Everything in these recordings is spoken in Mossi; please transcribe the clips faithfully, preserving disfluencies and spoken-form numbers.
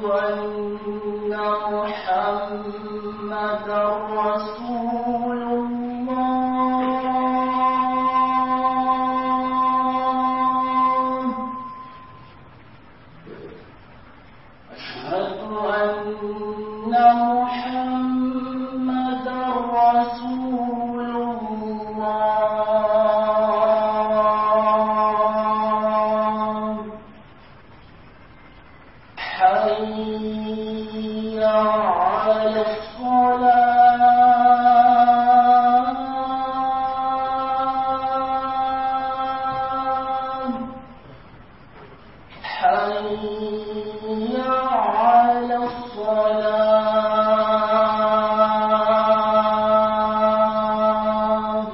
أن محمدا رسول الله أشهد أن محمدا رسول الله حي على الصلاة حي على الصلاة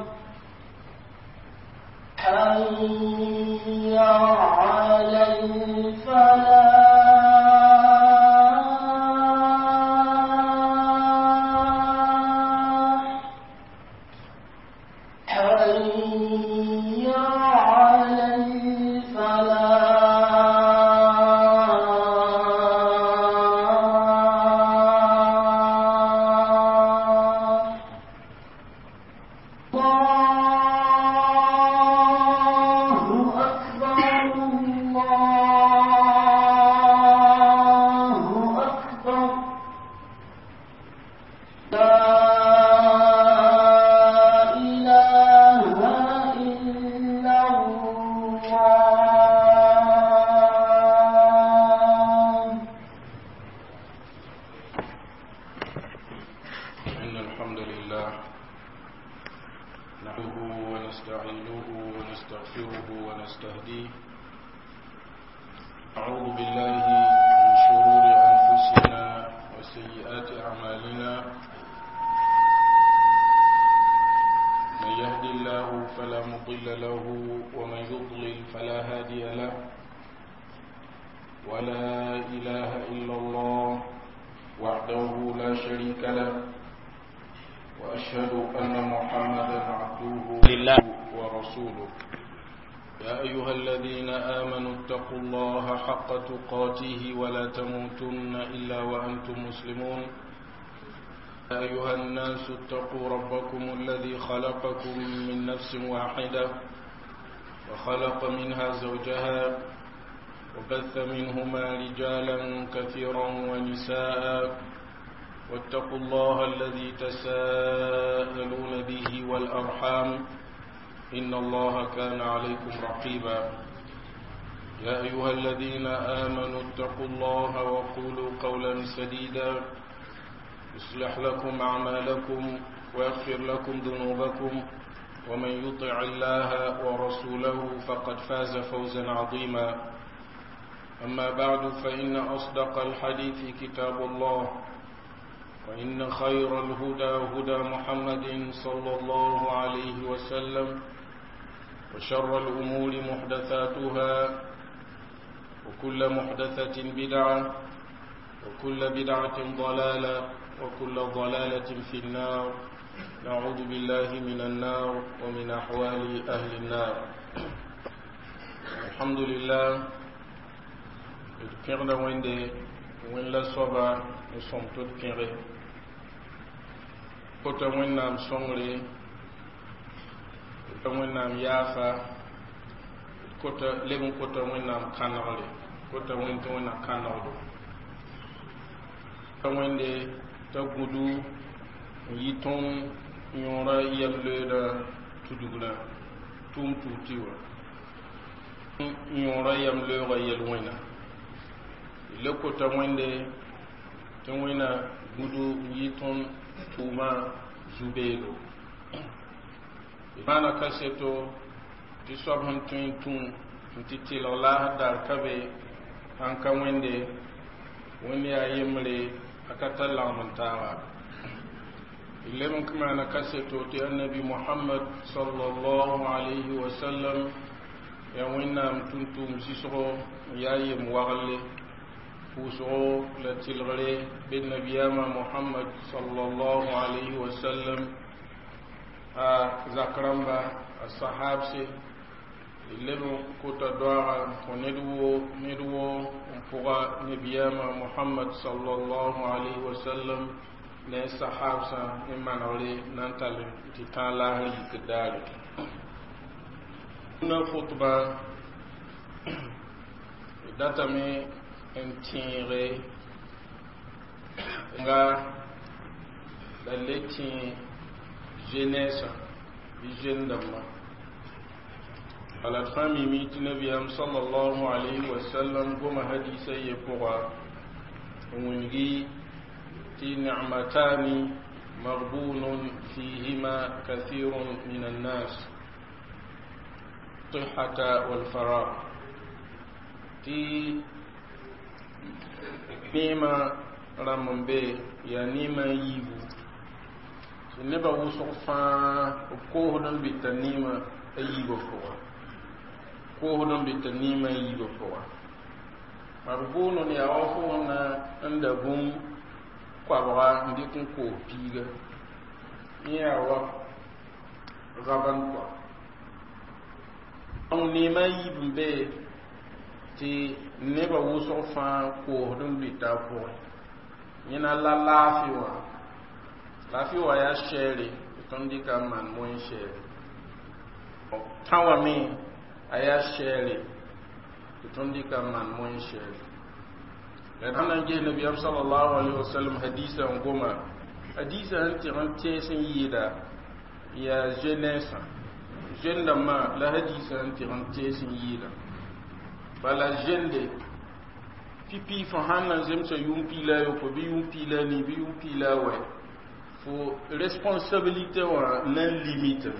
حي على الفلاح حي على الفلاح الله أكبر الله أكبر لا إله إلا الله إن الحمد لله نحمده ونستعينه ونستغفره ونستهديه أعوذ بالله من شرور أنفسنا وسيئات أعمالنا من يهدي الله فلا مضل له ومن يضلل فلا هادي له ولا إله إلا الله وحده لا شريك له وأشهد أن محمدا عبده لله. ورسوله يا أيها الذين آمنوا اتقوا الله حق تقاته ولا تموتن إلا وأنتم مسلمون يا أيها الناس اتقوا ربكم الذي خلقكم من نفس واحدة وخلق منها زوجها وبث منهما رجالا كثيرا ونساء واتقوا الله الذي تساءلون به والأرحام إن الله كان عليكم رقيبا يا أيها الذين آمنوا اتقوا الله وقولوا قولا سديدا يصلح لكم أعمالكم ويغفر لكم ذنوبكم ومن يطع الله ورسوله فقد فاز فوزا عظيما أما بعد فإن أصدق الحديث كتاب الله وإن خير الهدى هدى محمد صلى الله عليه وسلم وشر الأمور محدثاتها وكل محدثة بدعة وكل بدعة ضلالة وكل ضلالة في النار نعوذ بالله من النار ومن أحوال أهل النار الحمد لله pẽgda wẽnde wẽn la soaba n sõm tɩ d pẽge kota wẽnnaam sõngre kota wẽnnaam yaafa kota leb n kota wẽnnaam kãnegre kota wẽnd tɩ wẽnnaam kãnegdo ta wẽnde t'a gũdu n yɩ tõnd yõora yɛm-loeeda tudugrã tʋʋm tuug tɩ wã yõora yɛm-looga yel-wẽna le kota wẽnde tɩ wẽna gũdu n yɩ tõnd tʋʋmã zu-beelo maana kaseto tɩ soab sẽn tõe n tũ n tɩ tɩlg laasd daar ka be sãn ka wẽnde wẽnd yaa yembre a ka tar lagem n taaga d leb n maana kaseto tɩ annabi mohamad sallallahu alayhi wa sallam yaa wẽnnaam tʋm-tʋʋm zɩsgo n yaa yem wagle pʋʋsgo la tɩlgre be nabiyaamã mohamad sallallahu alayhi wa sallam a zak rãmba a sahabse d leb n kota doaga kõ ned woo ned woo n pʋga pʋga nabiyaamã Mohamad sallallahu alayhi wa sallam ne sahabsã ne manegre na n tall tɩ tãag laasr yikd daare na khutba d datame n tẽege nga la le tẽ jeunesse bɩ jeune dãmba ala d fãa mimi tɩ nabiyaam sallallahu alayhi wa sallam goma hadisa ye pʋga n wilgi tɩ nicmatani magbunun fihima kathirun min annas sihata walfarag tɩ neema rãmb n be yaa neema n yiibu tɩ nebã wʋsg fãa b koosd n bɩta neema a yiibã pʋga koosd n bɩta neema a yiibã pʋga magbunun yaa wa fo na n da bũmb koabga n dɩk n koos piiga yẽ yaa wa raban kɔa donc neema a yiib n be tɩ nebã wʋsg fãa koosd n lʋɩta a pʋgẽ yẽna la laafɩ wã laafɩ wã yaa sɛɛre tɩ tõnd dɩka n maan moyen sɛɛre tã wã me a yaa sɛɛre tɩ tõnd dɩka n maan moyen sɛɛre la d sã na n ges nabiyaam salallahu alayhi wa sallam hadisa n goma hadisa sẽn tɩg n tees n yɩɩda yaa jeunesse jeune dãmbã la hadisa sẽn tɩg n tees n yɩɩda bala jeune pipi fo sãn na n zemsa yʋʋm piila a yopoe bɩ yʋʋm piila a nii bɩ yʋʋm piila a wɛ fo responsabilité wã na n limite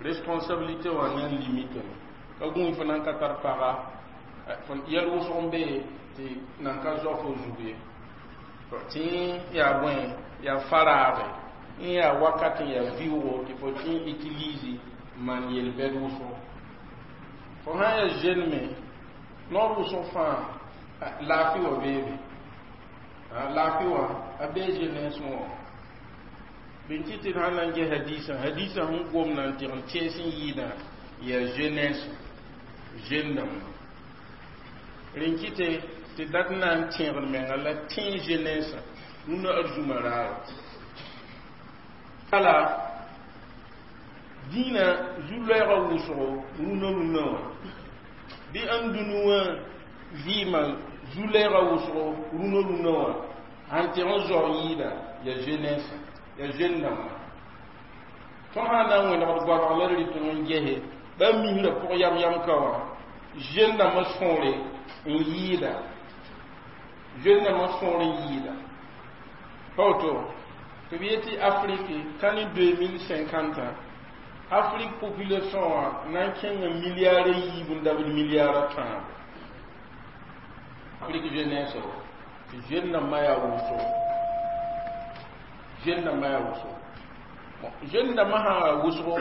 responsabilité wã na n limite ka gũu fo nan ka tar paga yɛl wʋsg n be tɩ nan ka zao fo zug ye tɩ yaa bõe yaa faraage n yaa wakat n yaa vɩʋʋgo tɩ fo tɩ n utilise maan yel-bɛd wʋsgo fo sã n yaa jeune me noor wʋsg fãa laafɩ wã beebe laafɩ wã a bee jeunesse wã bɩn tɩ tɩ d sãn na n ges hadisã hadisã sẽn gomda n tɩg n tees n yɩɩdã yaa jeunesse jeune dãmba rẽn kɩte tɩ dat na n tẽegd menga la tẽ jeunesse rũnã arzũmã raare bala dĩinã zu-loɛɛgã wʋsgo rũnã rũnã wã bɩ ãn dũni wã vɩɩmã zu-lɛɛgã wʋsgo rũnã rũnã wã sãn tɩg n zao n yɩɩda yaa jeunesse yaa jeune dãmba tõnd sã n na n wẽnegd goabg la d rɩt n gese ba misrã pʋg yam yam ka wã jeune dãmbã sõore n yɩɩda jeune dãmbã sõor n yɩɩda pa woto tɩ b yetɩ Afrique ka ne deux mille cinquante Afrique population wã na n kẽnga milliard a yiib n dabd milliard a tãabo Afrique jeunesse wa tɩ jeune dãmbã yaa wʋsgo jeune dãmbã yaa wʋsgo jeune dãmbã sã yaa wʋsgo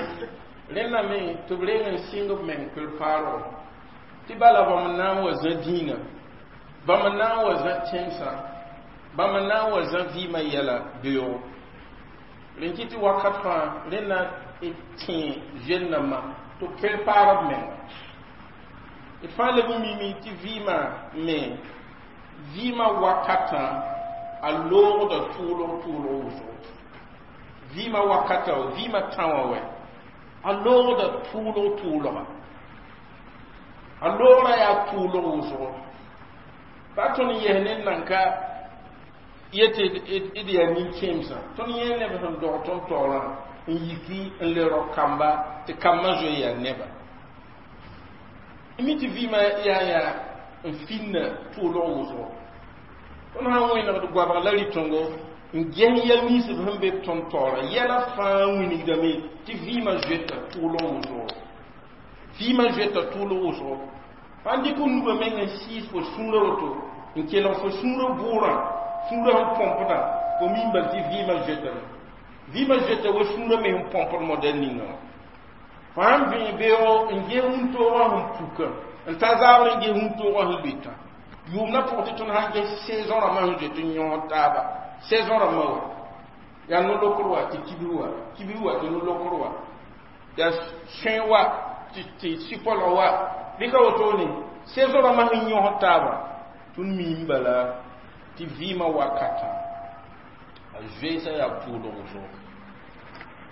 rẽnda me tɩ b reng n sɩng b meng préparer tɩ bala bãmb n na n wa zã dĩinã bãmb n na n wa zã tẽnsã bãmb n na n wa zã vɩɩmã yɛla beoogo rẽn kɩ tɩ wakat fãa rẽnda d tẽ jeune dãmbã tɩ b préparer b menga d fãa leb n mimi tɩ vɩɩmã me vɩɩmã wakatã a loogda tʋʋlg tʋʋlg wʋsgo vɩɩmã wakata vɩɩmã tã wã wɛ a loogda tʋʋlg tʋʋlga a loogrã yaa tʋʋlg wʋsgo pa tõnd n yes ned nan ka yetɩ d yaa nin-kẽemsã tõnd yẽ neb sẽn dog tõnd taoorã n yiki n le rao kamba tɩ kambã zoe yaa neba mi tɩ vɩɩmã yaa yaa n finna tʋʋlg wʋsgo tõnd sã n wẽnegd goabg la rɩtõngo n ges yɛl nins b sẽn be b tõnd taoorã yɛla fãa wilgdame tɩ vɩɩmã zoeta tʋʋlg wʋsgo vɩɩmã zoeta tʋʋlg wʋsgo fãn dɩk nugã meng n sɩɩs fo sũurã woto n kelg fo sũurã bʋʋrã sũurã sẽn põmpdã fo mim bal tɩ vɩɩmã zoetame vɩɩmã zoeta wa sũurã me sẽn põmpd modɛl ninga wã fo sãn vẽ beoogo n ges wũntoogã sẽn puka n ta zabr n ges wũntoogã sẽn lʋɩtã yʋʋmdã pʋgẽ tɩ tõnd sãn ges saison rãmbã sẽn zoet n yõsd taaba saison rãmbã wa yaa no-lokr wa tɩ kibs wa kibs wa tɩ no-lokr wa yaa sõe wa tɩ sɩpɔlg wa bɩ ka wotone saison rãmbã sẽn yõsd taaba Tõnd miime bala tɩ vɩɩmã wakatã a zoeesã yaa tʋʋlg wʋsgo,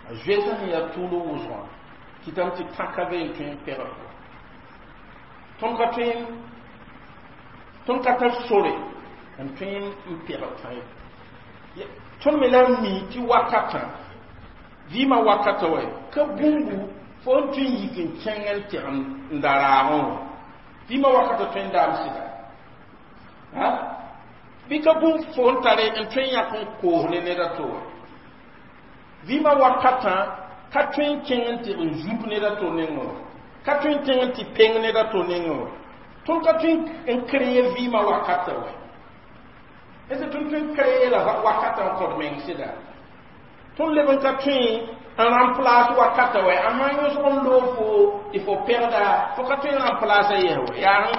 a zoeesã sẽn yaa tʋʋlg wʋsgã kɩtame tɩ tãka be n tõe n pɛgd fo. Tõnd ka tõe, tõnd ka tar sore n tõe n pɛgd tã ye. Tõnd me la n mi tɩ wakatã, vɩɩmã wakata wa, ka bũmbu fo n tõe n yik n kẽng n tɛg n da raagẽ wã. Vɩɩmã wakata tõe n daam sɩda bɩ ka bũmb fo n tare n tõe n yãk n koos ne ned a to wã. Vɩɩmã wakatã ka tõe n kẽng n tɩg n zup ned a to nengẽ wã, ka tõe n kẽng n tɩ peng ned a to nengẽ wã. Tõnd ka tõe n kree vɩɩmã wakata wã. Est ce tõnd tõe n kree la wakata n kõt meng sɩda? Tõnd leb n ka tõe n remplace wakata wɛ. A sã n yõsg n loog fo tɩ fo pɛgda, fo ka tõe n remplace a yɛs wɛ, yaa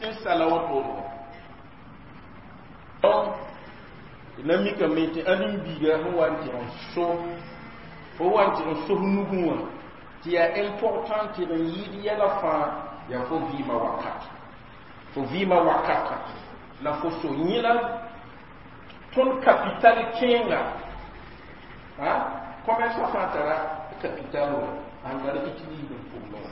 n sala wotone. Donc na mikame tɩ ãdem-biiga sẽn wa n tɩg n so, fo wa n tɩg n sos nugẽ wã, tɩ yaa important tɩ d n yɩɩd yɛla fãa yaa fo vɩɩmã wakat, fo vɩɩmã wakata la fo so. Yẽ la tõnd capital kẽenga. Commerce fãa tara capital wã sãn tar utilise n pʋgẽ wã.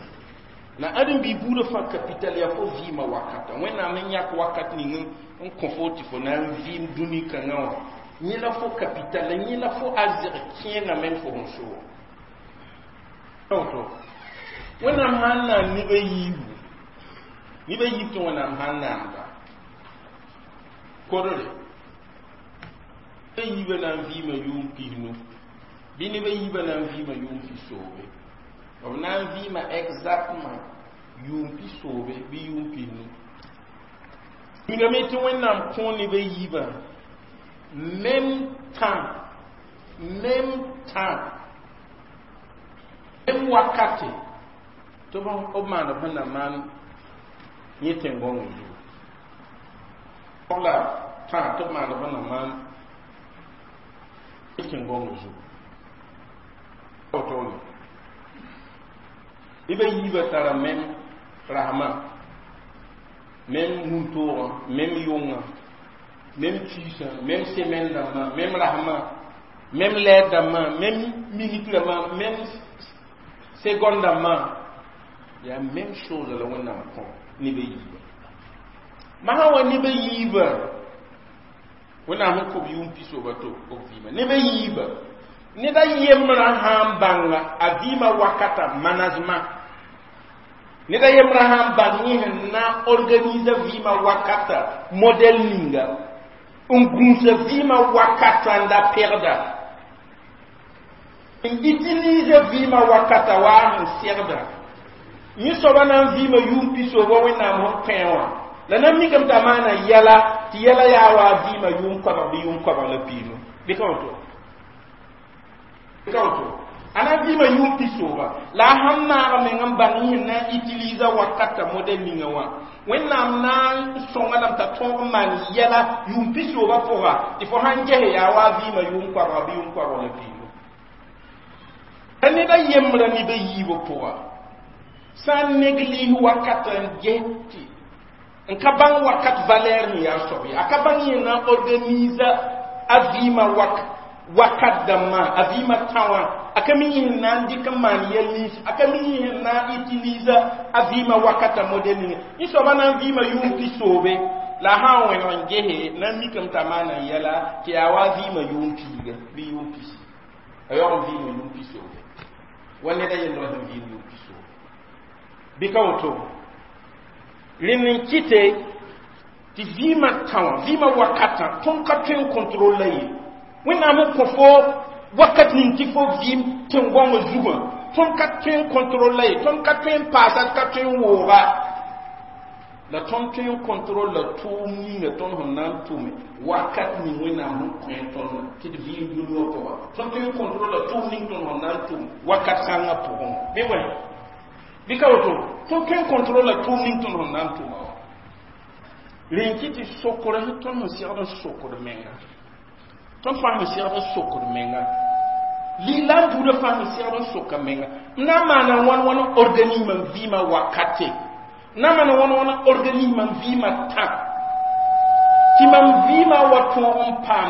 La ãdem-biig buudã fãa capital yaa fo vɩɩmã wakata. Wẽnnaam n yãk wakat ning n kõ fo tɩ fo na n vɩɩm dũni kãngã wã, yẽ la fo capital, la yẽ la fo arzɛg kẽengã meng fo sẽn so woto. Wẽnnaam sã n naan neb a yiibu, neb a yiib tɩ Wẽnnaam sã n naanda kodre, a yiibã na n vɩɩma yʋʋm pisnu bɩ neb a yiibã na n vɩɩma yʋʋm pisoobe, b na n vɩɩma exactement yʋʋm pisoobe bɩ yʋʋm pisnu. Migame tɩ Wẽnnaam kõ neb a yiibã même temps, même temps, même wakate tɩ b maand b sẽn na maan yẽ tẽn-gõngã zugu la tã tɩ b maand b sẽn na maan yẽ tẽn-gõngã zugu wotone. Neb a yiibã tara même rasmã, même wũntoogã, même yʋngã, même kiisã, même semaine dãmbã, même rasmã, même lɛɛr dãmbã, même minute dãmbã, même seconde dãmbã, yaa même chose la Wẽnnaam kõ neb a yiibã. Masã wa neb a yiibã, Wẽnnaam sẽn kõ b yʋʋm pisooba to b vɩɩmã, neb a yiibã, ned a yembrã sã n bãnga a vɩɩmã wakata management, ned a yembrã sã n bãng yẽ sẽn na n organisa vɩɩmã wakata modèle ninga, n gũusa vɩɩmã wakata n da pɛgda, n utilise vɩɩmã wakata waa sẽn segda, yẽ soaba na n vɩɩma yʋʋm pisooba Wẽnnaam sẽn kõ wã, la na n mikame t'a maana yɛla tɩ yɛla yaa wa a vɩɩma yʋʋm koabg bɩ yʋʋm koabg la piinu bɩ ka woto, bɩ ka woto. A na n vɩɩma yʋʋm pisooba, la a sãn maag meng n bãng yẽ na n utilise wakata modèle ninga wã, Wẽnnaam na n sõnga lame t'a tõog n maan yɛla yʋʋm pisooba pʋga tɩ fo sãn gese yaa wa a vɩɩma yʋʋm koabga bɩ yʋʋm koabg la piinu. La ned a yembrã neb a yiibã pʋga sã n néglige wakata n ges tɩ n ka bãng wakat valeur sẽn yaa soab ye, a ka bãng yẽ na n organisa a vɩɩmã wak wakat dãmbã, a vɩɩmã tã wã, a ka mi yẽ sẽn na n dɩk n maan yɛl nins, a ka mi yẽ sẽn na n utilisa a vɩɩmã wakata modèle ninga, yẽ soabã na n vɩɩma yʋʋm pisoobe, la a sã n wẽneg n gese na n mikame t'a maana yɛla tɩ yaa wa a vɩɩmã yʋʋm piiga bɩ yʋʋm pisi, a yaoog n vɩɩma yʋʋm pisoobe wa ned a yembrã sẽn vɩɩm yʋʋm pisoobe, bɩ ka woto. Rẽnd n kɩte tɩ vɩɩmã tã wã, vɩɩmã wakatã, tõnd ka tõe n contrôle la ye. Wẽnnaam n kõ fo wakat ning tɩ fo vɩɩm tẽn-gõngã zugã, tõnd ka tõe n contrôle la ye, tõnd ka tõe n paasa, ka tõe n wooga la, tõnd tõe n contrôle la tʋʋm ninga tõnd sẽn na n tʋme wakat ning Wẽnnaam sẽn kõ tõnd tɩ d vɩɩm dũni wã pʋga. Tõnd tõe n contrôle la tʋʋm ning tõnd sẽn na n tʋm wakat kãngã pʋgẽ, bɩ wẽ, bɩ ka woto. Tõnd tõe n contrôle la tʋʋm ning tõnd sẽn na n tʋma wã. Rẽn kɩ tɩ sokr tõnd sẽn segd n sokd menga, tõnd fãa sẽn segd n sokd menga, lislaam buudã fãa sẽn segd n soka menga: n na n maana wãn wãn n organise mam vɩɩmã wakate, n na n maana wãn wãn n organise mam vɩɩmã tã? Tɩ mam vɩɩmã wa tõog n paam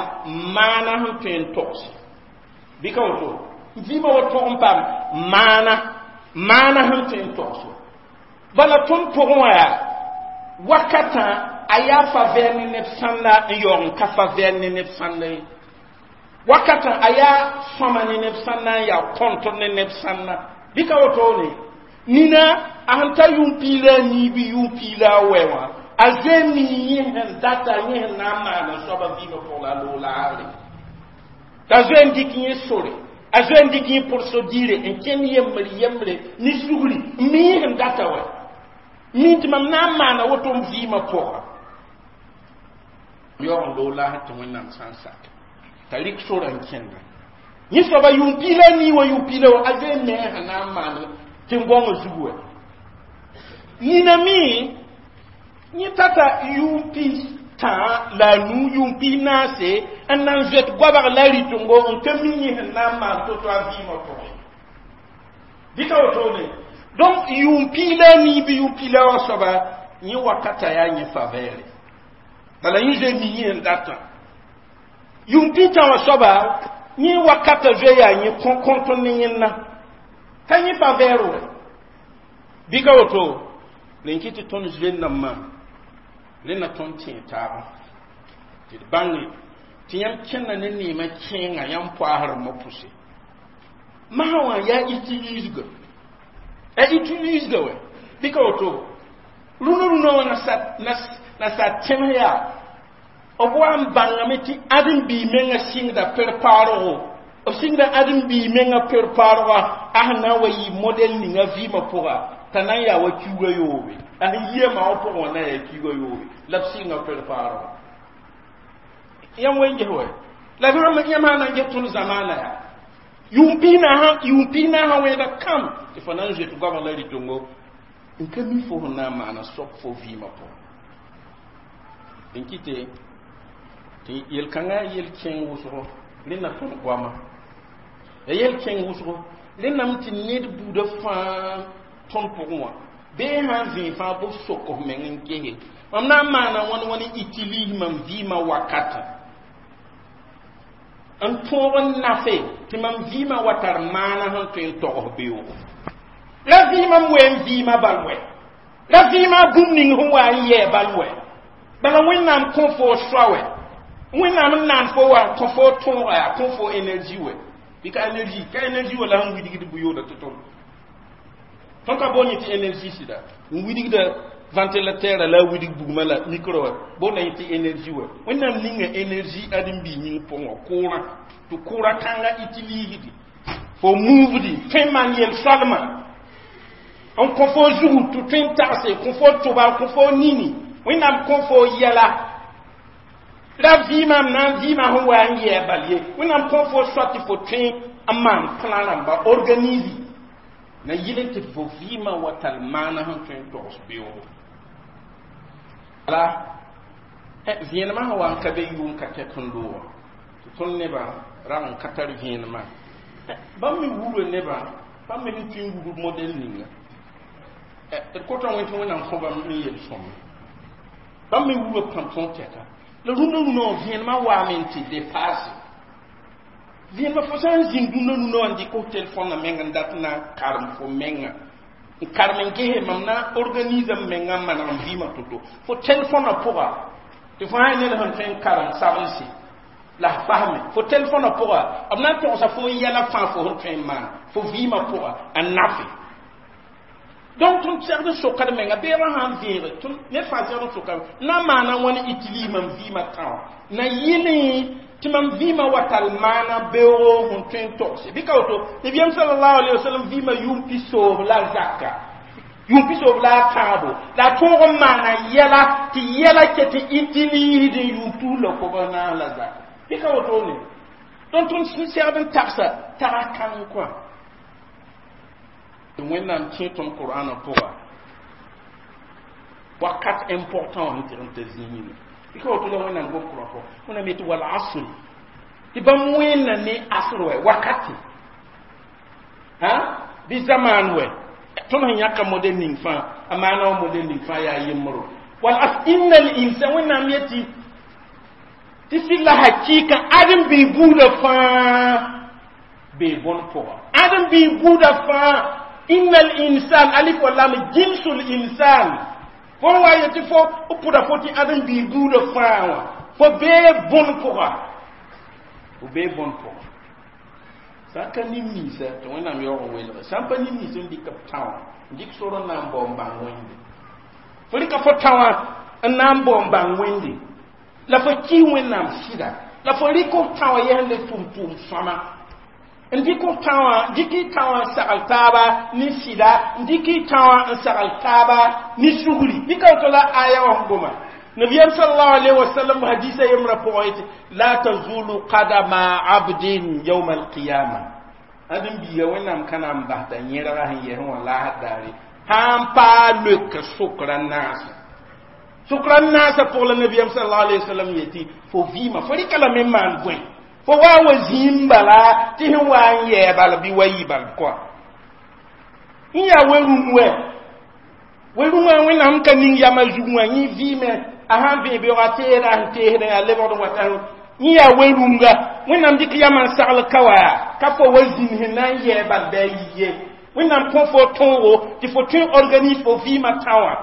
maana sẽn tõe n togse bɩ ka woto vɩɩmã wa tõog n paam maana maana sẽn tõe n togse bala tõnd pʋgẽ wã yaa wakatã a yaa favɛr ne neb sãnda n yaoog n ka favɛr ne neb sãnda ye wakatã a yaa sõma ne neb sãnda n yaa kõntr ne neb sãnda bɩ ka wotone nina a sẽn ta yʋʋm piig la a nii bɩ yʋʋm piig la a wɛ wã a zoe mi yẽ sẽn data yẽ sẽn na n maan n soaba vɩɩmã pʋg la a loog laagre t'a zoe n dɩk yẽ sore a zoe n dɩk yẽ procédure n kẽnd yembre yembre ne sugri n mi yẽ sẽn data wɛ mi tɩ mam na n maana woto m vɩɩmã pʋga yaoog n loog laasr tɩ wẽnnaam sã n sak t'a rɩk sora n kẽnda yẽ soaba yʋʋm piig la a nii wã yʋʋm piig la wã a zoe n me sẽn na n maan tẽn-gõngã zugu wɛ nina me yẽ tata yʋʋm pis tã la a nuu yʋʋm pis naase n na n zoet goabg la rɩtengo n ka mi yẽ sẽn na n maan to-to a vɩɩmã pʋgẽ bɩ ka wotone donc yʋʋm piig la a nii bɩ yʋʋm piig la wã soaba yẽ wakata yaa yẽ favɛɛre bala yẽ zoe mi yẽ sẽn datã yʋʋm piig tã wã soaba yẽ wakata zoe yaa yẽ kõnt ne yẽnna ka yẽ favɛɛr wɛ bɩ ka woto ren kɩ tɩ tõnd zoe-nambã rẽnna tõnd tẽeg taaba tɩ d bãnge tɩ yãmb kẽnda ne neemã kẽenga yãmb poaas rãmbã pʋse masã wã yaa utilisga a utilisga wɛ bɩ ka woto rũnã rũnã wã na sa tẽms yaa b wa n bãngame tɩ ãdem-biig menga sɩngda préparego b sɩngda ãdem-biig menga préparega a sẽn na n wa yɩ modɛl ninga vɩɩmã pʋga t'a na n yaa wa kiuga yoobe a sẽn yia maa wã pʋgẽ wã na yaa kiuga yoobe la b sɩnga préparego yãmb wen ges wɛ la yãmb sã na n ges tõnd zamaana yaa yʋʋm piig yʋʋm piig naasã wẽeda kam tɩ fo na n zoet goabg la rɩtengo n ka mi fo sẽn na n maana soab fo vɩɩmã pʋgẽ n kɩte tɩ yel-kãngã yel-kẽng wʋsgo rẽnna tõnd goama ya yel-kẽng wʋsgo rẽnname tɩ ned buudã fãa tõnd pʋgẽ wã bee sã n vẽe fãa b sok f meng n gese mam na n maana wãn wãn n utilise mam vɩɩmã wakatã n tõog n nafe tɩ mam vɩɩmã wa tar maana sẽn tõe n togs beoogo la vɩɩmã m wɛ n vɩɩmã bal wɛ la vɩɩmã bũmb ning sẽn wa n yɛɛ bal wɛ bala wẽnnaam kõ fo soa wɛ wẽnnaam n naan fo wa kõ fo tõoga yaa kõ fo énergie wɛ bɩ ka énergie ka énergie wala sẽn widgd bʋ-yooda tɩ tõnd tõnd ka boon yẽ tɩ énergie sɩda n widgda ventilateur la a widg bugmã la micro wɛ boonda yẽ tɩ énergie wɛ wẽnnaam ninga énergie ãdem-biig yĩng pʋgẽ wã kʋʋrã tɩ kʋʋrã kãngã utilisdi fo muvdi tõe n maan yel-soalmã n kõ fo zugu tɩ tõe n tagse kõ fo tʋba kõ fo nini wẽnnaam kõ fo yɛla la vɩɩmã m na n vɩɩmã sẽn wa n yɛɛ bal ye wẽnnaam kõ fo soa tɩ fo tõe n maan plã rãmba organise na yɩl n tɩ fo vɩɩmã wa tall maana sẽn tõe n togs beoogo la vẽenemã sẽn wa n ka be yʋʋm ka kɛk n loogã tɩ tõnd nebã rag n ka tar vẽenemã bãmb me wura nebã bãmb me sẽn tõe n wugr modɛl ninga d kota wẽn tɩ wẽnnaam kõ bãmb n yel-sõmme bãmb me wura pãn-tõog tɛka la rũndã rũnã wã vẽenemã waame n tɩ dépasse vẽenemã fo sã n zĩnd rũndã rũndã wã n dɩk f telefõnã meng n dat na n karem fo menga n karem n gese mam na organise m menga n maneg n vɩɩmã to-to fo telefõnã pʋga tɩ fo sã ned sẽn tõe n karem sagense la f fasme fo telefõnã pʋga b na n togsa fo yɛla fãa fo sẽn tõe n maan fo vɩɩmã pʋga n nafe donc tõnd segd n sokd menga beoogã sã n vẽege tõnd ned fãa segd n soka na n maana wãn utilise mam vɩɩmã tã wã na yɩlẽ tɩ mam vɩɩmã wa tall maana beoogo sẽn tõe n togse bɩ ka woto nabiyaam salallahu alayhi wasallam vɩɩmã yʋʋm pisoog la zaka yʋʋm pisoog la a tãabo la a tõog n maana yɛla tɩ yɛla ket tɩ utilisd n yʋʋm tus la kob naas la zaka bɩ ka wotone donc tõnd sẽn segd n tagsa taga kãng kɔa wẽnnaam kẽ tõnd qur'ana pʋga wakat important sẽn tɩg n ta zĩigẽ bɩ ka woto la wẽnnaam gom qur'an pʋga wẽnnaam yetɩ wal asri tɩ bãmb wẽnna ne asr wɛ wakati ha bɩ zamaan wɛ tõnd sẽn yãka modɛl ning fãa a maana wã modɛl ning fãa yaa yembro wal asr inna al insan wẽnnaam yetɩ Tɩ sɩd la hakɩɩka ãdem-biig buudã fãa bee bõn pʋga ãdem-biig buudã fãa innal insan alif wa lam jinsul insan fo wa yetɩ fo pʋda fo tɩ ãdem-biig buudã fãa wã fo bee bõn pʋga fo bee bõn pʋga sã n ka nin-ninsã tɩ Wẽnnaam yaoog n welge sã n pa nin-nins n dɩk b tã wã n dɩk sor n na n bao n bãng Wẽnde fo rɩka fo tã wã n na n bao n bãng Wẽnde la fo kɩ Wẽnnaam sɩda la fo rɩk f tã wã yɛs ne tʋm-tʋʋm sõma n dɩk f tã wã dɩk y tã wã n sagl taaba ne sɩda n dɩk y tã wã n sagl taaba ne sugri bɩ ka woto la aya wã sẽn goma nabiyam sallallahu alaihi wasallam hadisa yemra pʋgẽ yetɩ la tazulu qadama abdin yawma alqiyama ãdem biiga Wẽnnaam ka na n bas t'a yẽrga sẽn yɛs wã laasd daare sã n paa loek sokra naasã sokra naasã pʋg la nabiyam sallallahu alaihi wasallam yetɩ fo vɩɩmã fo rɩka lame n maan bõe fo wa n wa zĩim bala tɩ sẽn wa n yɛɛ bal bɩ wa yɩ bal kɔa n yaa we-rũm wɛ we-rũmã Wẽnnaam ka ning yamã zug wã yẽ vɩɩme a sãn vẽ beoogã teesda sẽn teesdẽ yaa lebgd n wata yẽ yaa we-rũnga Wẽnnaam dɩk yamã n sagl ka wa ka fo wa zĩnd sẽn na n yɛɛ bal bɩ a yi ye Wẽnnaam kõ fo tõogo tɩ fo tõe n organise fo vɩɩmã tã wã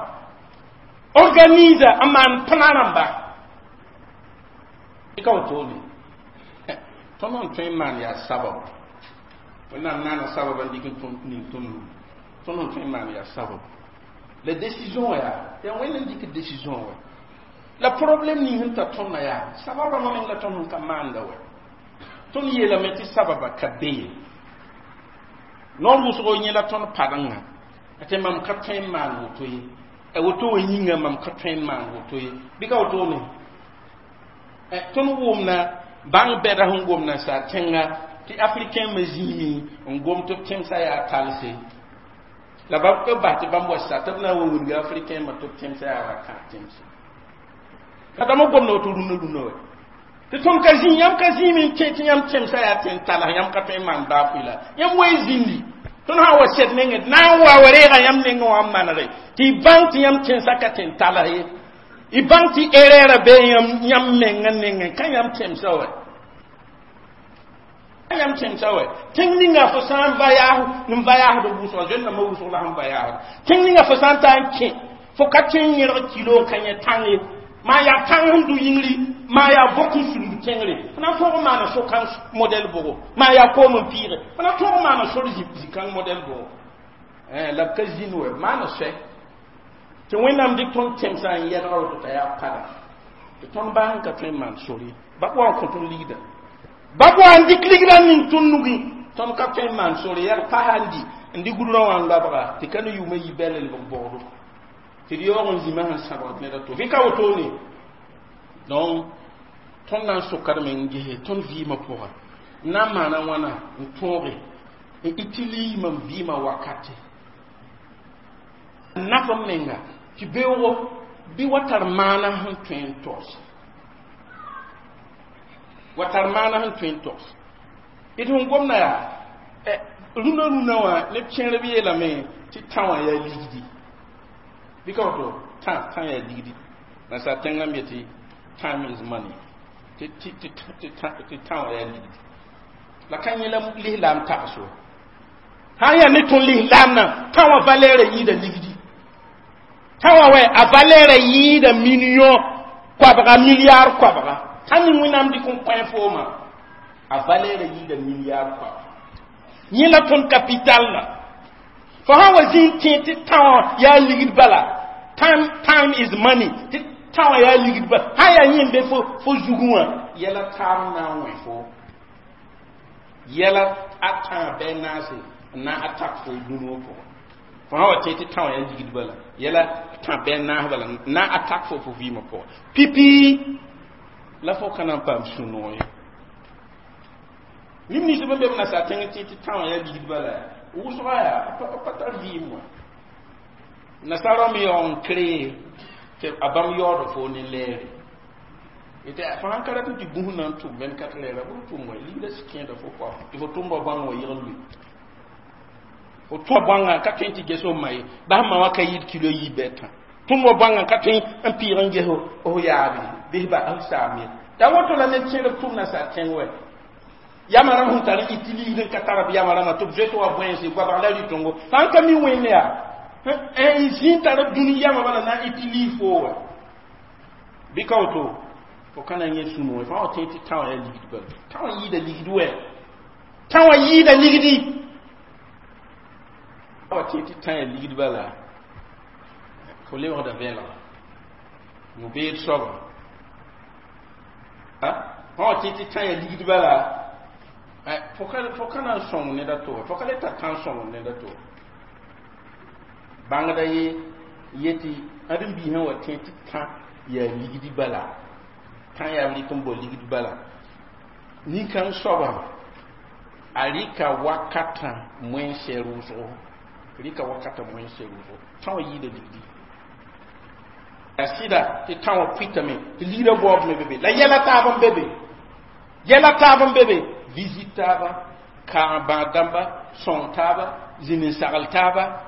organise n maan pãna rãmba ka wotone tõnd n tõe n maan yaa sabab Wẽnnaam naana sabab n dɩk n ning tõnd tõnd n tõe n maan yaa sabab la décision yaa yaa Wẽnd n dɩk décision wɛ la problème ning sẽn ta tõndã yaa sabab rãmbã meng la tõnd sẽn ka maanda wɛ tõnd yeelame tɩ sababa ka be ye noor wʋsgo yẽ la tõnd padenga tɩ mam ka tõe n maan woto ye a woto wã yĩnga mam ka tõe n maan woto ye bɩ ka wotone tõnd wʋmna bãng bɛda sẽn gomna sa tẽnga tɩ africain me zĩimi n gom tɩ b tẽmsã yaa talse la ba b bas tɩ bãmb wa sa tɩ b na n wa wilga africain ma tɩ b tẽmsã yaa ra-kãag tẽmse ka dãmb gomda woto rũnã rũnã wɛ tɩ tõnd ka zĩ yãmb ka zĩime n kẽ tɩ yãmb tẽmsã yaa tẽn talg yãmb ka tõe n maan baa pʋɩ la yãmb wa y zĩndi tõnd sã n wa sɛd nengẽ na n wa wa reega yãmb nengẽ wã n manege tɩ y bãng tɩ yãmb tẽnsã ka tẽn talg ye y bãng tɩ erreur bee yãmb mengã nengẽ ka yãmb tẽmsã wɛ ka yãmb tẽmsã wɛ tẽng ninga fo sã n va yaas n va yaasd wʋsga zoe-rãmbã wʋsg la sẽn va yaasd tẽng ninga fo sã n ta n kẽ fo ka tõe n yẽrg kilo n ka yẽ tãng ye maa yaa tãng sẽn du yĩngri maa yaa bok n sũnd tẽngre fo na n tõog n maana so-kãng modɛl bʋgo maa yaa koom n pɩɩge fo na tõog n maana sor zĩ-kãng modɛl bʋgo la b ka zĩnd wɛ maana soɛ tɩ Wẽnnaam dɩk tõnd tẽmsã n yɛdga woto t'a yaa pada tɩ tõnd baa sẽn ka tõe n maan sor ye ba wa n kõ tõnd ligda ba wa n dɩk ligrã ning tõnd nugi tõnd ka tõe n maan sor yaa pasa n di n dɩ gudrã wã n loabga tɩ ka ne yʋʋmã yi bɛl lebg bogdo tɩ d yaoog n zĩmã sẽn sãbgd ned a to bɩ ka wotone donc tõnd na n sokdame n gese tõnd vɩɩmã pʋga n na n maana wãna n tõoge n utilise mam vɩɩmã wakate n naf m menga tɩ beoogo bɩ wa tar maana sẽn tõe n togs wa tar maana sẽn tõe n togs d sẽn gomda yaa rũnã rũnã wã neb kẽerb yeelame tɩ tã wã yaa ligdi bɩ ka woto tã tã yaa ligdi nasaar tẽngã me yetɩ time is money tɩ tã wã yaa ligdi la ka yẽ la lislaam tags wa sã n yaa ne tõnd lislaamdã tã wã valeur yɩɩda ligdi tã wã wɛ a valeur yɩɩda million koabga milliard koabga sã ning Wẽnnaam dɩk n kõ fooma a valeur yɩɩda milliard koabga yẽ la tõnd capital la fo sã n wa zĩ n tẽ tɩ tã wã yaa ligd bala time time is money tɩ tã wã yaa ligd bala sã n yaa yẽ n be fo fo zugẽ wã yɛla taab na n wẽ fo yɛla a tãa bɩ naase n na n attaque fo dũni wã pʋgã fo sã wa tẽ tɩ tã wã yaa ligd bala yɛla tã bɩ naas bala n na n attaque fo fo vɩɩmã pʋgã pipi la fo ka na n paam sũ-noog ye neb nins bãmb be b nasaar tẽng tẽ tɩ tã wã yaa ligd bala wʋsga yaa pa tar vɩɩm wã nasaarã me yaoog n kree tɩ a bãmb yaood fo ne lɛɛre tɩ fo sãn ka rat n tɩ gũs na n tʋm vingt-quatre heures b tʋm wa ligda sɩ kẽeda fo pʋga tɩ fo tʋmba bãng wa yɩgl lʋɩ fo tʋma bãngã ka tõe n tɩ ges f ma ye bas ma wã ka yɩɩd kilo yiib bɩ tã tʋmba bãngã ka tõe n pɩɩg n ges f yaabe bɩs ba f saam ye Ya woto la ned kẽer b tʋm nasaar kẽng wɛ yama rãmb sẽn tar n ɩt ligd n ka tara b yama rãmbã tɩ b zoet wa bõense goabg la rɩtongo sã n ka mi wẽnde yaa n zĩ tar b dũni yama bala na n ɩt liig foo wɛ bɩ ka woto fo ka na n yẽ sũ-noog fãa wa tẽ tɩ tã wã yaa ligd bala tã wã yɩɩda ligd wɛ tã wã yɩɩda ligdi wa tẽ tɩ tã yaa ligd bala fo lebgda vẽelga yũ-beed soaba fãa wa tẽ tɩ tã yaa ligd bala fo ka na n sõng ned a to fo ka le tar tã n sõng ned a to bãngda ye yetɩ ãdem-biisã wa tẽ tɩ tã yaa ligdi bala tã yaa b rɩk n bao ligd bala nin-kãng soaba a rɩka wakatã moẽnsɛ rʋʋsgo rɩka wakatã moẽnsɛ rʋʋsgo tã wã yɩɩda ligdi yaa sɩda tɩ tã wã pʋɩtame tɩ ligdã baoob me be be la yɛla taab n be be yɛla taab n be be visite taaba kaag bãad dãmba sõng taaba zĩnd n sagl taaba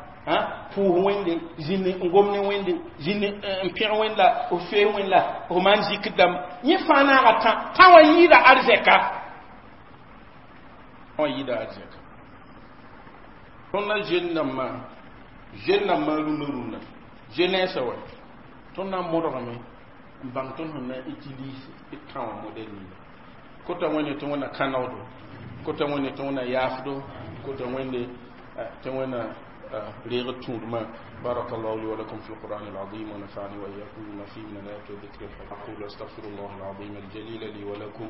pʋʋs wẽnde zĩnd n gom ne wẽnde zĩnd n pẽg wẽnd la f fees wẽnd la f maan zikr dãmb yẽ fãa naaga tã tã wã yɩɩda arzɛka wã yɩɩda arzɛka tõnd na jeune dãmbã jeune dãmbã rũndã rũndã jeunesse wã tõnd na n modgame n bãng tõnd sẽn na n utilise d tã wã modèle ninga kota wẽnde tɩ wẽnna kãnegdo kota wẽnde tɩ wẽnna yaafdo kota wẽnde tɩ wẽnna reeg tũudmã بارك الله لي ولكم في القرآن العظيم ونفعني وإياكم بما فيه من الآيات والذكر الحكيم أقول أستغفر الله العظيم الجليل لي ولكم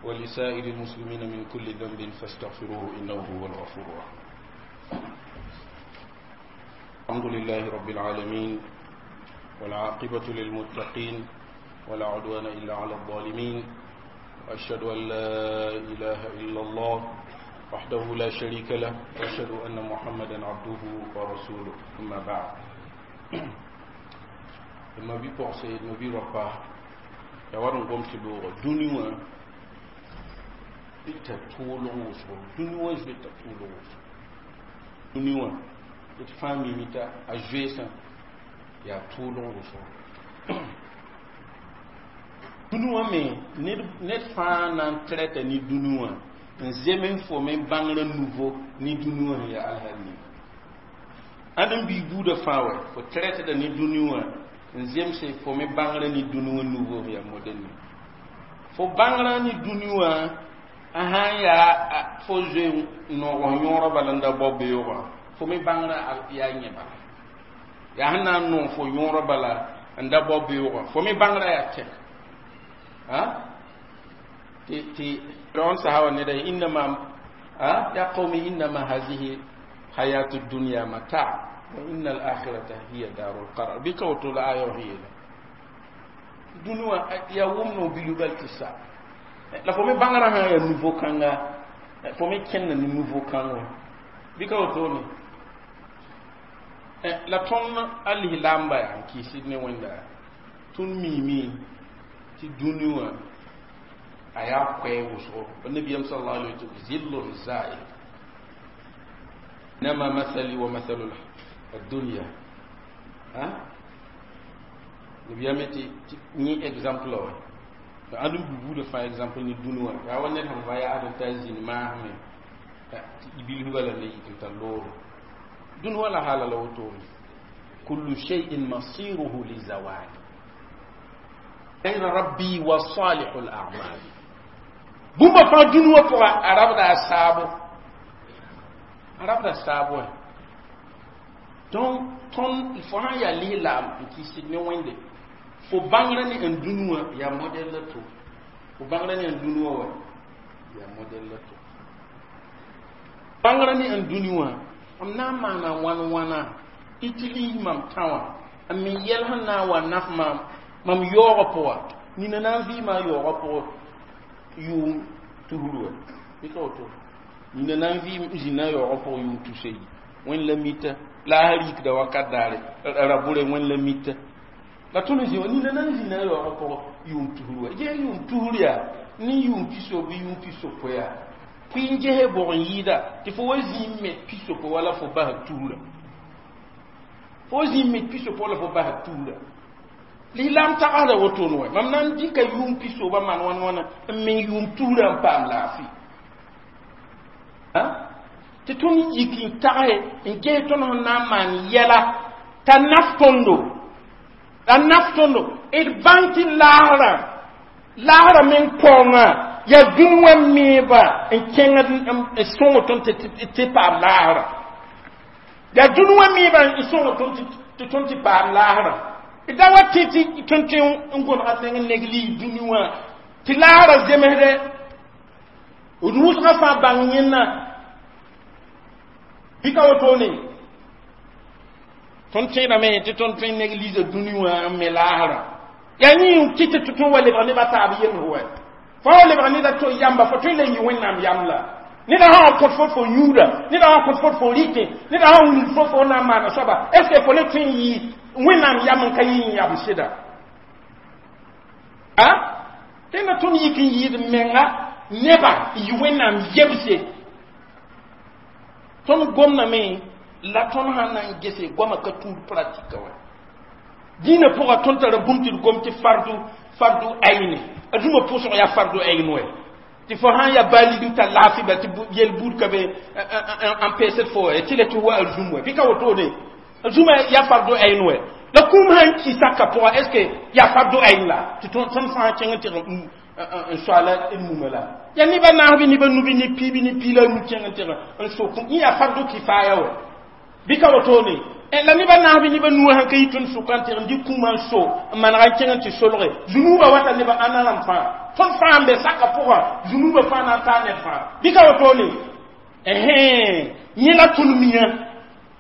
ولسائر المسلمين من كل ذنب فاستغفروه إنه هو الغفور الرحيم الحمد لله رب العالمين والعاقبة للمتقين ولا عدوان إلا على الظالمين وأشهد أن لا إله إلا الله وحده لا شريك له وأشهد أن محمدا عبده ورسوله أما بعد ma bi pɔgse ma bi rapa ya war n gom tɩ looga dũni wã t'a toolg wʋsgo dũni wã zoe t'a toolg wʋsgo dũni wã d fãa mimi t'a a zoeesã yaa toolg wʋsgo dũni wã me ned fãa na n traita ne dũni wã n zem n fo me bãngrã nouveau ne dũni wã sẽn yaa alhal ninga ãd n bii buudã fãa wɛ fo traitda ne dũni wã n zemse fo me bãngrã ne dũni wã nouveau sẽn yaa modèle ninga fo bãngrã ne dũni wã a sãn yaa fo zoe noog yõorã bala n da bao beoogã fo me bãngrã yaa yẽ bala yaa sẽn na n noog fo yõorã bala n da bao beoogã fo me bãngrã yaa tɛk tɩ tɩ Firawun sahawa ne da إنما يا قوم إنما هذه الحياة الدنيا متاع وإن الآخرة هي دار القرار bɩ ka woto la aya wã yeela dũni wã yaa wʋm no bilubal tɩ sa la fo me bãngrã sã yaa nouveau kãnga fo me kẽnda ne nouveau kãng wã bɩ ka wotone la tõnd a lislaamba yaa n kɩɩsd ne wẽnda tõnd miime tɩ dũni wã a yaa koɛɛ wʋsgo nabiyam صلى الله عليه وسلم ظل زائل إنما مثلي ومثل الدنيا ها nabiyam tɩ yẽ exemple wa ãd n bubuudã fãa exemple ne dũni wã yaa wa ned sẽn va yaasd n ta zĩnd maasme tɩ bilf bala la yik n tar loore dũni wã la hala la wotone كل شيء مصيره لزوال غير ربي وصالح الأعمال bũmba fãa dũni wã pʋga a rabda a saabo a rabda saabo donc tõnd fo sã n yaa lislaam n kɩɩsd ne wẽnde fo bãngrã ne n dũni wã yaa modèle la to fo bãngrã ne n dũni wã wa yaa modèle la to bãngrã ne n dũni wã m na n maana wãn wãna utilise mam tã wã n me yɛl sẽn na n wa naf maam mam yaoogã pʋga nina na n vɩɩma a yaoogã pʋgã yʋʋm tusr wa bɩ ka woto nina na n vɩɩm zĩna a yaoogã pʋgã yʋʋm tusa yi wẽnd la mita la a rikda wakat daare ra bʋre wẽnd la mita la tõnd n zĩ wã nina na n zĩna a yaoogã pʋgã yʋʋm tusr wa ges yʋʋm tusr yaa ne yʋʋm pisob bɩ yʋʋm pisopoe yaa pʋɩ n gese bʋg n yɩɩda tɩ fo wa zĩig me pisopoe wala fo basd tusra fo zĩig me pisopoe wala fo basd tusra Lislaam tagsda wotone wɛ. Mam na n dɩka yʋʋm pisoobã maan wãn wãna n meng yʋʋm tuurã n paam laafɩ tɩ tõnd yik n tagse n ges tõnd sẽn na n maan yɛla t'a naf tõndo, la naf tõndo. D bãng tɩ laasrã laasrã meng paoongã yaa dũni wã meeba n kẽngd n sõng tõnd tɩ paam laasrã, yaa dũni wã meeba n sõng tõnd tɩ tõnd tɩ paam laasrã. Da wa tɩ tɩ tõnd tɩ n gõdga meng n neg lii dũni wã tɩ laasrã zemsdɛ d wʋsgã fãa bãng yẽnna bɩ ka wotone. Tõnd tẽedame tɩ tõnd tõe n néglige dũni wã n me laasrã. Yaa yẽ tɩ tɩ tõnd wa lebg nebã taab yems wɛ. Fo wa lebg neda to yamba, fo tõe n le yɩ Wẽnnaam yam la neda sã n kõt fo fo yũuda, neda sã n kõt fo fo rɩtẽ, neda sã n wilg fo fo na n maana soaba. Est ce que fo le tõe n yɩ Wẽnnaam yam n ka yɩ n yam sɩda a tẽnda? Tõnd yik n yɩɩd menga neba n yɩ Wẽnnaam yemse. Tõnd gomdame la tõnd sãn na n gese goamã ka tuud pratique wɛ dĩinã pʋga. Tõnd tara bũmb tɩ d gom tɩ fardu fardu ayne a dũmã pʋsg yaa fardu ayn wɛ, tɩ fo sãn yaa baa ligd tar laafɩ bal tɩ yel buud ka be n peesd fo wɛ tɩ la tɩ wa a zũm wɛ, bɩ ka wotone a zũmã yaa fardu ayn wɛ. La kũum sãn ki saka pʋga, est ce que yaa fardu ayn la tɩ tõnd fãa kẽng tɩg n soaala d mumã la yaa neba naasbɩ, neba nubi, ne piibi, ne piila nu kẽng n tɩg n sok yẽ yaa fardu kifaya wɛ, bɩ ka wotone. La neba naasbɩ, neba nuwã sãn ka yi tõnd sʋka n tɩg n dɩ kũumã n so n manega n kẽng n tɩ solge zunuubã wata neba ãnna rãmb fãa. Tõnd fãa n be saka pʋgã, zunuubã fãa na n taa ned fãa, bɩ ka wotone. Yẽ la tõnd miã,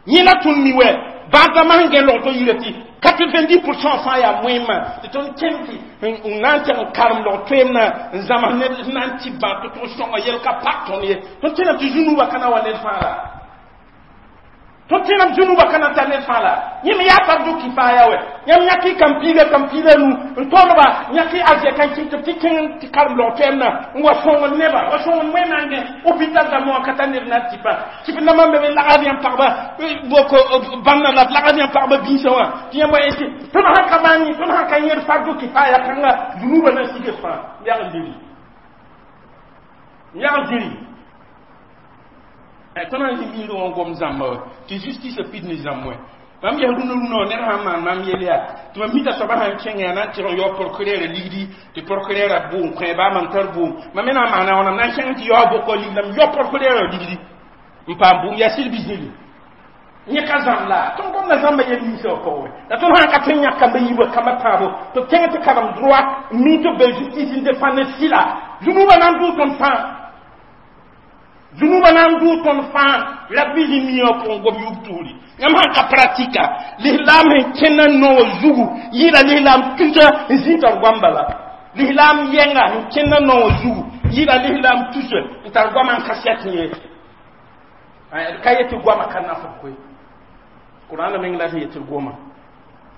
yẽ la tõnd mi wɛ bãadãmã sẽn gẽ log to yira tɩ quatre-vingt-dix pour cent fãa yaa moẽmã tɩ tõnd kẽnd tɩ n na n tɩg n karem log toeemnã n zãms ned na n tɩ bã tɩ tʋg sõnga yel ka pak tõnd ye. Tõnd tẽnam tɩ zũnuubã ka na wa ned fãa la tõnd tẽnam zũnuubã ka na n tar ned fãa la yẽ me yaa fardu kifaya wɛ. Yãmb yãk y kam-piiga kam-piida nu n tõdba, yãk y azɛka n kɩt tɩ kẽng tɩ karem log toɛɛmnã n wa sõngd neba, wa sõngd wẽnnaam gẽ hôpital dãmbã wã ka tar ned na n tɩpa tɩ b nambã be lagd yãmb pagba boko bãmb la b lagd yãmb pagba biisã wã tɩ yãmb wa tɩ tõnd sãn ka maan, tõnd sãn ka yẽd fardu kifaya kãnga, zũnuubã na n sig fãa. Yag n diri, yag n diri. Tõnd sãn zĩ miirẽ wã n gom zãmba wɛ tɩ justice pid ne zãmb wɛ. Mam ges rũnã rũnã wã ned sãn maan mam yel yaa tɩ mam mita soaba sãn kẽng yaa na n tɩg n yao procureur ligdi tɩ procureur a bʋʋm kõ baa mam tar bʋʋm mam me na n maana wãnam na n kẽng tɩ yao bʋkɔ ligd m yao procureur ligdi n paam bʋʋm yaa sɩd bɩ zĩri yẽ ka zãmb la tõnd gomda zãmba yel ninsã wã pʋgẽ wɛ. La tõnd sãn ka tõe n yãk kamba yiibã kambã tãabo tɩ b kẽng tɩ karem droit mi tɩ b be justice n défendre sɩla zũnuubã na n dʋʋ tõnd fãa, zũnuubã na n dʋʋ tõnd fãa. La b zĩ miã pʋgẽ gom yub tuuri. Yãmb sãn ka pratika lislaam sẽn kẽnda noogã zugu yɩɩla lislaam tusa n zĩ tar goam bala. Lislaam yɛnga sẽn kẽnda noogã zugu yɩɩla lislaam tusa n tar goamã n ka sɛt ye. Ka yetɩ goamã ka nafd koe. Kʋrãana meng la sẽn yetɩ goma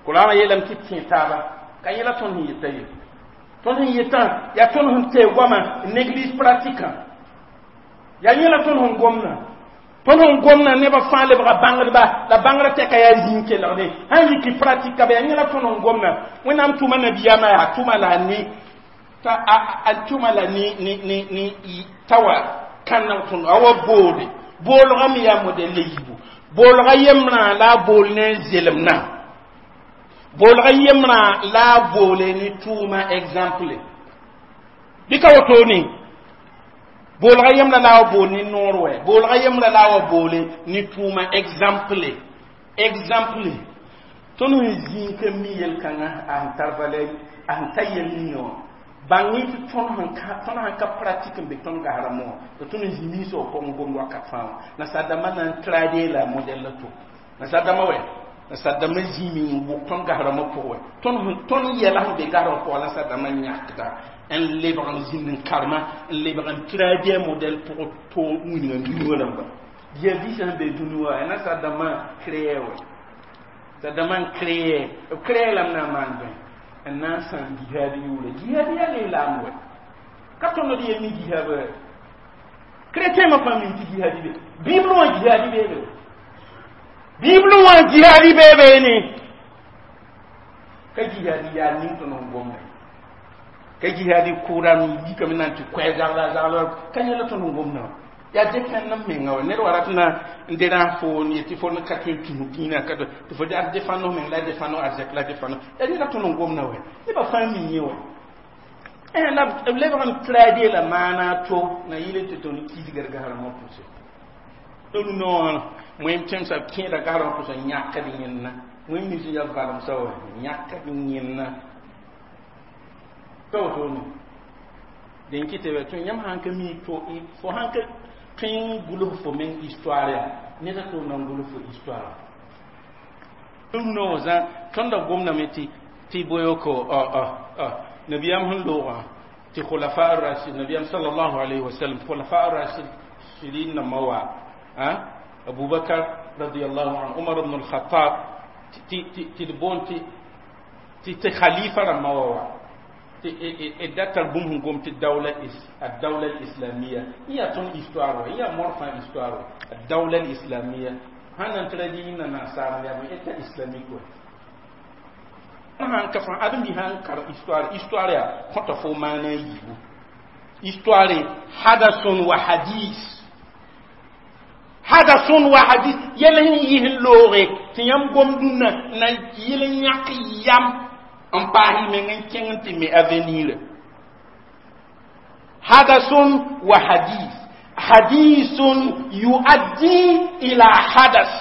Kʋrãana yeelame tɩ tẽ taaba ka yẽla tõnd sẽn yeta ye. Tõnd sẽn yetã yaa tõnd sẽn tee goamã n néglige pratikã, yaa yẽla tõnd sẽn gomdã. Tõnd sẽn gomdã nebã fãa lebga bãngdba la bãngrã tɛka yaa zĩig kelgde sãn yiki pratique ka be. Yaa yẽla tõnd sẽn gomdã. Wẽnnaam tʋma nabiyaamã yaa tʋma la ne t'a a tʋma la ne ne ne ne t'a wa kãneg tõnd a wa boode boolgã me yaa modɛl la yiibu. Boolga yembrã la a bool ne zelemnã, boolga yembrã la a boole ne tʋʋma exemple bɩ ka wotone. Boolga yembrã la a wa bool ne noor wɛ, boolga yembrã la a wa boole ne tʋʋma exemple exemple. Tõnd sẽn zĩig ka mi yel-kãngã a sẽn tar valeur, a sẽn ta yel ninga wã bãng-y tɩ tõnd sẽn ka tõnd sãn ka pratique n be tõnd gasrame wã tɩ tõnd n zĩ minsã wã pʋgẽ gomd wakat fãa wã nasaar-dãmbã na n traduire la modèle la to nasaar-dãmbã wɛ nasaar-dãmbã zĩime n wʋk tõnd gasrame pʋgẽ wɛ. Tõnd tõnd yɛla sẽn be gasrame pʋgã nasaar-dãmbã yãkda n lebg n zĩnd n karema n lebg n traduire modèle pʋgẽ to wilgã dũni wã rãmba jihadisã sẽn be dũni wã nasaar-dãmbã créer wɛ saar-dãmbã n créer b créer lame na n maan bõe n na n sãam jihaad yʋʋra. Jihaad yaa lislaam wɛ ka tõnd d yel mi jihaad wɛ. Chrétien ma fãa min tɩ jihaadi be Bible wã jihaadi beebe, Bible wã jihaadi beebe ne. Ka jihadi yaa ning tõnd n gomda ka jihadi kʋʋdame yikame na n tɩ koɛɛ zagla zagla ka yẽla tõnd n gomda wã yaa dẽfẽnd n menga wa ned wa rat na n derãas fo n yetɩ fo ka tõe n tũs dĩinã ka tɩ fo ad defãnd f meng la defãnd arzɛk la defãnd yaa neda tõnd n gomda wa nebã fãa mi yẽ wa la b lebg n traduire la maana to na yɩl tɩ tõnd kisgr gasrãmbã pʋse rũnã wã wẽm tẽmsa kẽeda gasrãmbã pʋsã yãkd yẽnna wẽm nins n yaa valemsã wa yãkd yẽnna ka wotone dẽn kɩ tɩ tõe yãmb sãn ka mi to fo sãn ka tõe n gʋls fo meng histoire ya ned a to na n gʋls fo histoire rũnã wã zã tõnda gomdame tɩ tɩ boyoko nabiyam sẽn loogã tɩ khulafa ar-rashid nabiyam sallallahu alayhi wa sallam khulafa ar-rashidin nambã wa abubakar radiyallahu anhu umar ibn al-khattab tɩ d boond tɩ tɩ khalifa rãmbã wa wa tɩ d da tar bũmb sẽn gom tɩ dawla الدولة الإسلامية yaa tõnd histoire wa yaa morfã histoire wa الدولة الإسلامية sãn na n traduit yĩnda nasaar yaa état islamique wa sãn ka fãa ãdem-bi sãn kar histoire histoire yaa kõta fo maana yiibu histoire حدث وحديث حدث وحديث yɛl sẽn yɩs n looge tɩ yãmb gom dũnna na yɩl n yãk yam n paas y meng n kẽng n tɩ me avenir حدث وحديث حديث يؤدي إلى حدث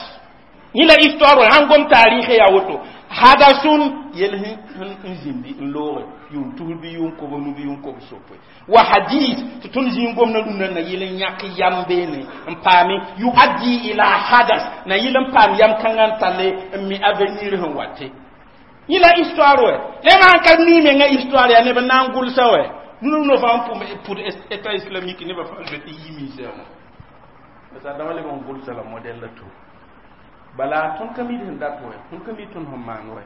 yẽ la histoire sãn gom taarɩɩsã yaa woto حدث yel sẽn zĩndi n looge yʋʋm tus bɩ yʋʋm kobs nu bɩ yʋʋm kobs sopoe وحديث tɩ tõnd zĩig gomdã rũndã na yɩl n yãk yam beene n paame يؤدي إلى حدث na yɩl n paam yam kãngã n talle n mi avenir sẽn wate yẽ la histoire wɛ neb sãn ka mi menga histoire yaa neb n na n gʋlsa wɛ rũndã fãa n pʋd état islamique nebã fãa zoet n yi minsã wã parce que dãmba leb n gʋlsa la modèle la to bala tõnd ka mid sẽn dat wɛ tõnd ka mi tõnd sẽn maan wɛ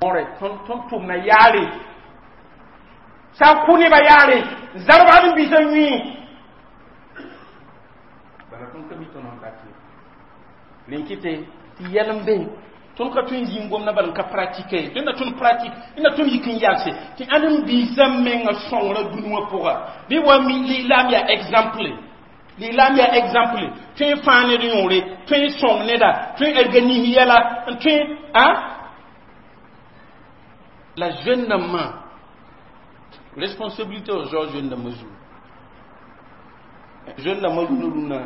mõre tõnd tʋmna yaare sã n kʋ nebã yaare zarb ad n bisã yũi bala tõnd ka mi tõnd sẽn dat ye rẽn kɩte tɩ yɛl n be tõnd ka tõe n zĩig gomdã bal n ka pratique ye tõnd na tõnd pratique d na tõnd yik n yalse tɩ ãd n biisã menga sõngra dũni wã pʋga bɩ wa mi lislaam yaa exemple lislaam yaa exemple tõe n fãa ned yõore tõe n sõng neda tõe n organise yɛla n tõe a la jeune dãmbã responsabilité wa zao jeune dãmbã zugu jeune dãmbã rũnã rũnã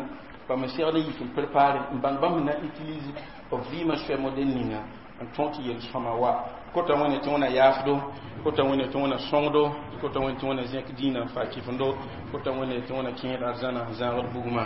bãmb n segd n yik n prépare n bãng bãmb sẽn na n utilise b vɩɩmã soɛ modèle ninga n tõog tɩ yel-sõma wa kota wẽne tɩ wẽna yaafdo kota wẽne tɩ wẽna sõngdo kota wẽne tɩ wẽna zẽk dĩinã n fa kɩfendo kota wẽne tɩ wẽna kẽed arzãna n zãagd bugmã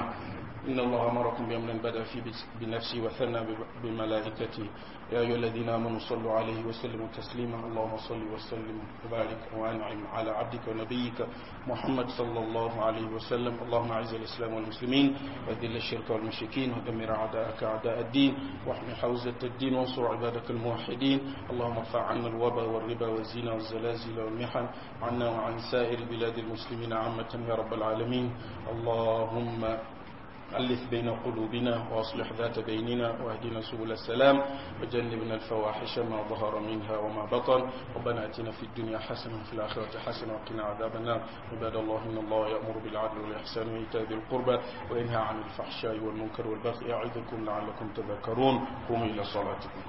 إن الله أمركم بأمر بدأ فيه بنفسه وثنى بملائكته يا أيها الذين آمنوا صلوا عليه وسلموا تسليما اللهم صل وسلم وبارك وأنعم على عبدك ونبيك محمد صلى الله عليه وسلم اللهم أعز الإسلام والمسلمين وأذل الشرك والمشركين ودمر أعداءك أعداء الدين واحم حوزة الدين وانصر عبادك الموحدين اللهم ارفع عنا الوباء والربا والزنا والزلازل والمحن عنا وعن سائر بلاد المسلمين عامة يا رب العالمين اللهم ألف بين قلوبنا وأصلح ذات بيننا واهدنا سبل السلام وجنبنا الفواحش ما ظهر منها وما بطن ربنا اتنا في الدنيا حسنة وفي الآخرة حسنة وقنا عذاب النار عباد الله إن الله يأمر بالعدل والإحسان وإيتاء ذي القربى وينهى عن الفحشاء والمنكر والبغي يعظكم لعلكم تذكرون قوموا إلى صلاتكم.